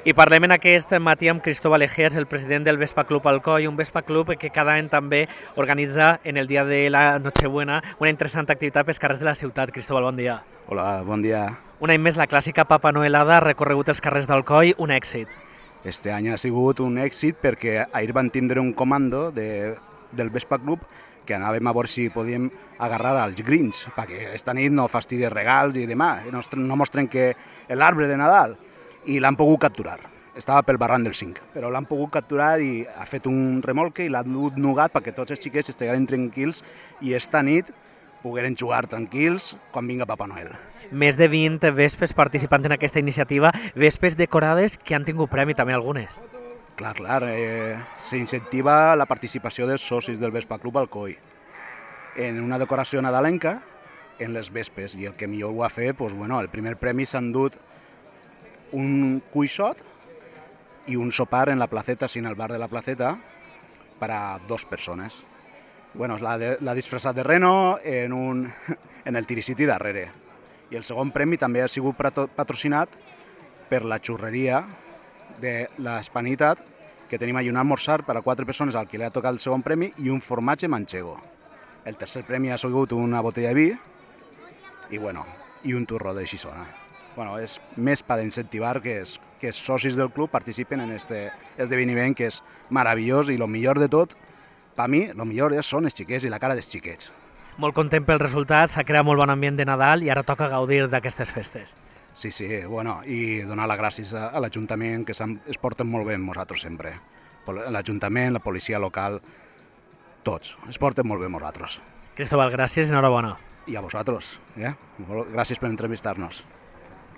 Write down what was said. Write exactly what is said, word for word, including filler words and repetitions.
I parlem en aquest matí amb Cristóbal Egeas, el president del Vespa Club Alcoi, un Vespa Club que cada any també organitza en el dia de la Nochebuena una interessant activitat pels carrers de la ciutat. Cristóbal, bon dia. Hola, bon dia. Un any més la clàssica Papa Noelada ha recorregut els carrers d'Alcoi, un èxit. Este any ha sigut un èxit perquè ahir van tindre un comando de, del Vespa Club que anàvem a veure si podíem agarrar als Grinch, perquè esta nit no fastidis regals i demà, no, no mos trenque l'arbre de Nadal. I l'han pogut capturar. Estava pel barranc del cinc, però l'han pogut capturar i ha fet un remolque i l'ha dut nugat perquè tots els xiquets estiguin tranquils i esta nit pogueren jugar tranquils quan vinga Papa Noel. Més de vint vespes participant en aquesta iniciativa, vespes decorades que han tingut premi també algunes. Clar, clar, eh, s'incentiva la participació dels socis del Vespa Club Alcoi en una decoració nadalenca en les vespes, i el que millor ho ha fet, doncs, bueno, el primer premi s'han dut un cuixot i un sopar en la placeta, sin el bar de la placeta, per a dos persones. Bueno, l'ha disfressat de reno en, un, en el Tiricity darrere. I el segon premi també ha sigut patrocinat per la xurreria de l'Hispanitat, que tenim allà un almorzar per a quatre persones al que li ha tocat el segon premi i un formatge manchego. El tercer premi ha sigut una botella de vi i, bueno, i un turró de xixona. Bueno, és més per incentivar que, es, que els socis del club participen en aquest esdeveniment que és meravellós i el millor de tot, per mi, el millor són els xiquets i la cara dels xiquets. Molt content pel resultat, s'ha creat molt bon ambient de Nadal i ara toca gaudir d'aquestes festes. Sí, sí, bueno, i donar les gràcies a l'Ajuntament, que es porten molt bé amb nosaltres sempre. L'Ajuntament, la policia local, tots, es porten molt bé amb nosaltres. Cristóbal, gràcies i enhorabona. I a vosaltres, eh? Gràcies per entrevistar-nos.